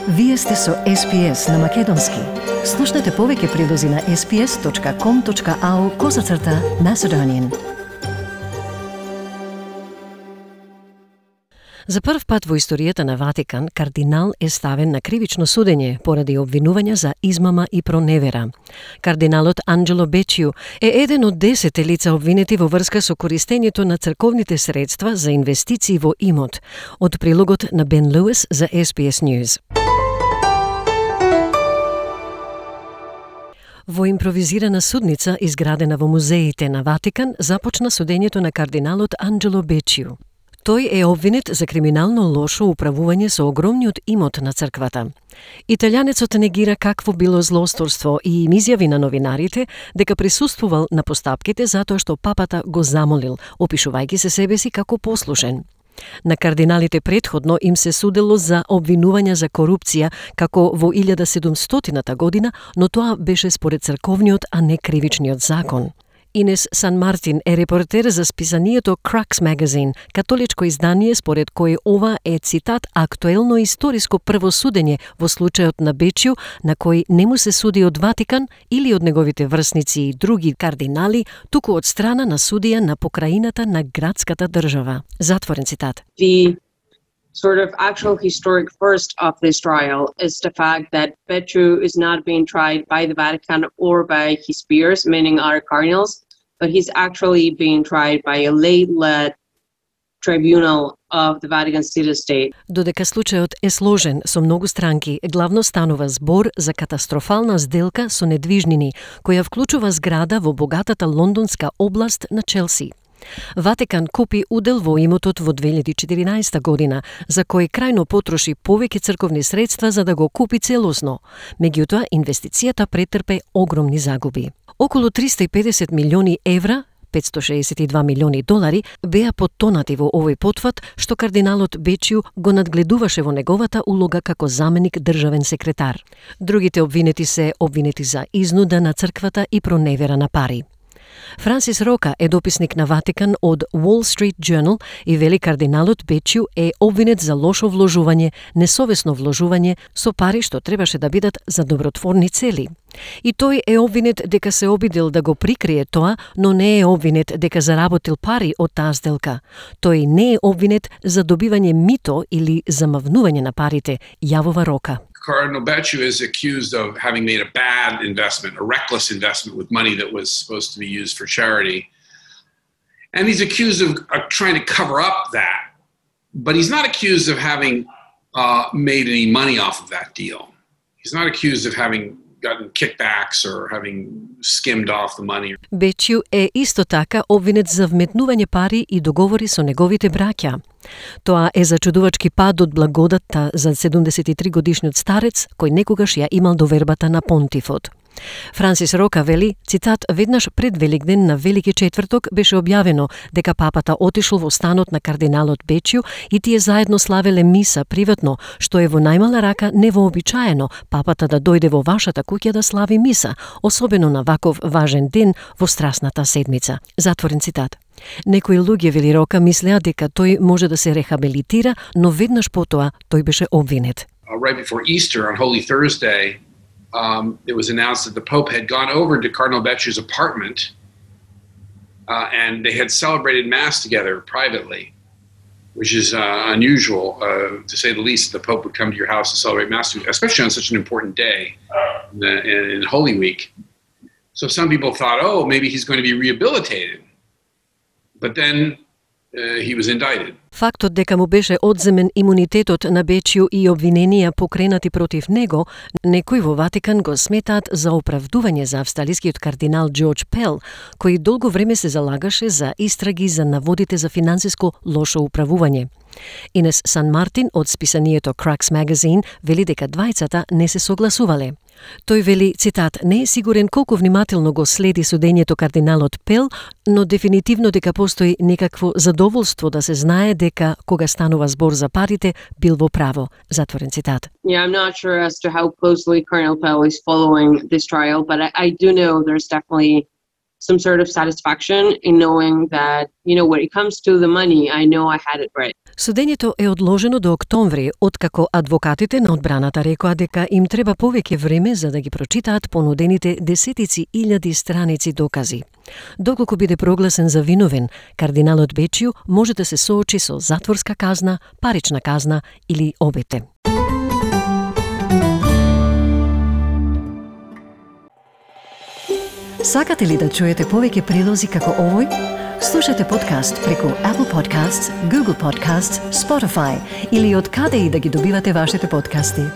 Вие сте со SPS на Македонски. Слушнете повеќе прилози на sps.com.au/Macedonian. За прв пат во историјата на Ватикан, кардинал е ставен на кривично судење поради обвинувања за измама и проневера. Кардиналот Анджело Бечиу е еден од 10 лица обвинети во врска со користењето на црковните средства за инвестиции во имот. Од прилогот на Бен Луис за SPS News. Во импровизирана судница изградена во музеите на Ватикан започна судењето на кардиналот Анджело Бечиу. Тој е обвинет за криминално лошо управување со огромниот имот на црквата. Италијанецот негира какво било злосторство и им изјави на новинарите дека присуствувал на постапките затоа што папата го замолил, опишувајќи се себе си како послушен. На кардиналите претходно им се судело за обвинувања за корупција како во 1700 година, но тоа беше според црковниот, а не кривичниот закон. Инес Сан Мартин е репортер за списанието Crux Magazine, католичко издание според кој ова е, цитат, актуелно историско првосудење во случајот на Бечиу, на кој не му се суди од Ватикан или од неговите врсници и други кардинали, туку од страна на судија на покраината на градската држава. Затворен цитат. The sort of actual historic first of this trial is the fact that Bečiu is not being tried by the Vatican or by his peers, meaning our cardinals, but he's actually being tried by a lay-led tribunal of the Vatican City-State. Додека случајот е сложен со многу странки, главно станува збор за катастрофална сделка со недвижнини, која вклучува зграда во богатата лондонска област на Челси. Ватикан купи удел во имотот во 2014 година, за кој крајно потроши повеќе црковни средства за да го купи целосно. Меѓутоа, инвестицијата претрпе огромни загуби. Околу 350 милиони евра, 562 милиони долари, беа поттонати во овој потфат, што кардиналот Бечиу го надгледуваше во неговата улога како заменик државен секретар. Другите обвинети се обвинети за изнуда на црквата и проневера на пари. Франсис Рока е дописник на Ватикан од Wall Street Journal и вели кардиналот Бечиу е обвинет за лошо вложување, несовесно вложување со пари што требаше да бидат за добротворни цели. И тој е обвинет дека се обидел да го прикрие тоа, но не е обвинет дека заработил пари од таа сделка. Тој не е обвинет за добивање мито или замавнување на парите, јавува Рока. Cardinal Bečiu is accused of having made a bad investment, a reckless investment with money that was supposed to be used for charity. And he's accused of trying to cover up that. But he's not accused of having made any money off of that deal. He's not accused of having gotten kickbacks or having skimmed off the money. Бечиу е исто така обвинет за вметнување пари и договори со неговите браќа. Тоа е зачудувачки пад од благодатта за 73 годишниот старец кој некогаш ја имал довербата на понтифот. Франсис Рока вели, цитат, веднаш пред Великден на Велики четврток беше објавено дека папата отишол во станот на кардиналот Бечиу и тие заедно славеле миса приватно, што е во најмала рака невообичаено папата да дојде во вашата куќа да слави миса, особено на ваков важен ден во страсната седмица. Затворен цитат. Некои луѓе, вели Рока, мислеа дека тој може да се рехабилитира, но веднаш потоа тој беше обвинет. Right before Easter on Holy Thursday, it was announced that the Pope had gone over to Cardinal Bečiu's apartment and they had celebrated Mass together privately, which is unusual, to say the least. The Pope would come to your house to celebrate Mass, especially on such an important day in Holy Week. So some people thought, oh, maybe he's going to be rehabilitated. But then he was indicted. Фактот дека му беше одземен имунитетот на Бечиу и обвиненија покренати против него, некои во Ватикан го сметаат за оправдување за австралискиот кардинал Джордж Пел, кој долго време се залагаше за истраги за наводите за финансиско лошо управување. Инес Сан Мартин од списанието Crux Magazine вели дека двајцата не се согласувале. Тој вели, цитат, не е сигурен колку внимателно го следи судењето кардиналот Пел, но дефинитивно дека постои некакво задоволство да се знае дека кога станува збор за парите бил во право. Затворен цитат. Yeah, I'm not sure as to how closely Cardinal Pell is following this trial, but I do know there's definitely some sort of satisfaction in knowing that, when it comes to the money, I know I had it right. Судењето е одложено до октомври, откако адвокатите на одбраната рекоа дека им треба повеќе време за да ги прочитаат понудените десетици илјади страници докази. Доколку биде прогласен за виновен, кардиналот Бечију може да се соочи со затворска казна, парична казна или обете. Сакате ли да чуете повеќе прилози како овој? Слушате подкаст преку Apple Podcasts, Google Podcasts, Spotify или од каде и да ги добивате вашите подкасти.